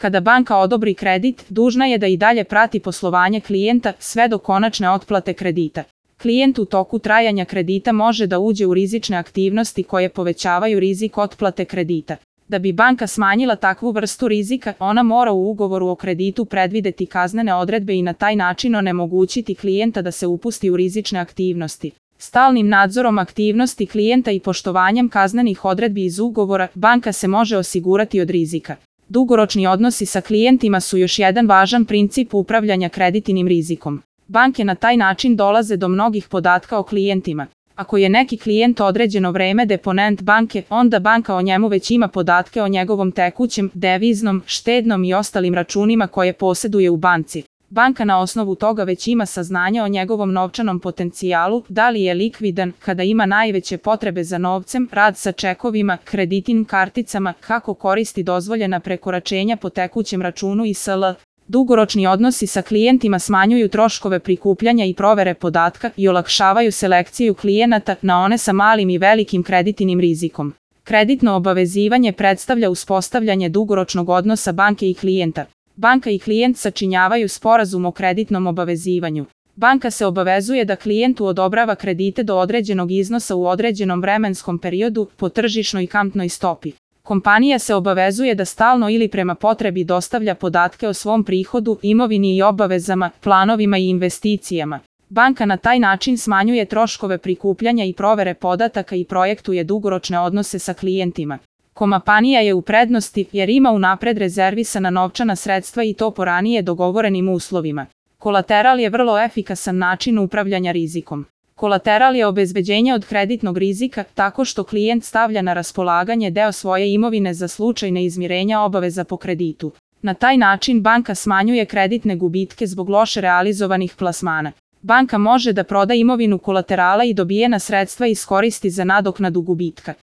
Kada banka odobri kredit, dužna je da i dalje prati poslovanje klijenta sve do konačne otplate kredita. Klijent u toku trajanja kredita može da uđe u rizične aktivnosti koje povećavaju rizik otplate kredita. Da bi banka smanjila takvu vrstu rizika, ona mora u ugovoru o kreditu predvideti kaznene odredbe i na taj način onemogućiti klijenta da se upusti u rizične aktivnosti. Stalnim nadzorom aktivnosti klijenta i poštovanjem kaznenih odredbi iz ugovora, banka se može osigurati od rizika. Dugoročni odnosi sa klijentima su još jedan važan princip upravljanja kreditnim rizikom. Banke na taj način dolaze do mnogih podatka o klijentima. Ako je neki klijent određeno vreme deponent banke, onda banka o njemu već ima podatke o njegovom tekućem, deviznom, štednom i ostalim računima koje poseduje u banci. Banka na osnovu toga već ima saznanja o njegovom novčanom potencijalu, da li je likvidan, kada ima najveće potrebe za novcem, rad sa čekovima, kreditnim karticama, kako koristi dozvoljena prekoračenja po tekućem računu i sl. Dugoročni odnosi sa klijentima smanjuju troškove prikupljanja i provere podatka i olakšavaju selekciju klijenata na one sa malim i velikim kreditnim rizikom. Kreditno obavezivanje predstavlja uspostavljanje dugoročnog odnosa banke i klijenta. Banka i klijent sačinjavaju sporazum o kreditnom obavezivanju. Banka se obavezuje da klijentu odobrava kredite do određenog iznosa u određenom vremenskom periodu po tržišnoj kamatnoj stopi. Kompanija se obavezuje da stalno ili prema potrebi dostavlja podatke o svom prihodu, imovini i obavezama, planovima i investicijama. Banka na taj način smanjuje troškove prikupljanja i provere podataka i projektuje dugoročne odnose sa klijentima. Kompanija je u prednosti jer ima unapred rezervisana novčana sredstva i to po ranije dogovorenim uslovima. Kolateral je vrlo efikasan način upravljanja rizikom. Kolateral je obezbeđenje od kreditnog rizika tako što klijent stavlja na raspolaganje deo svoje imovine za slučaj neizmirenja obaveza po kreditu. Na taj način banka smanjuje kreditne gubitke zbog loše realizovanih plasmana. Banka može da proda imovinu kolaterala i dobijena sredstva iskoristi za nadoknadu gubitka.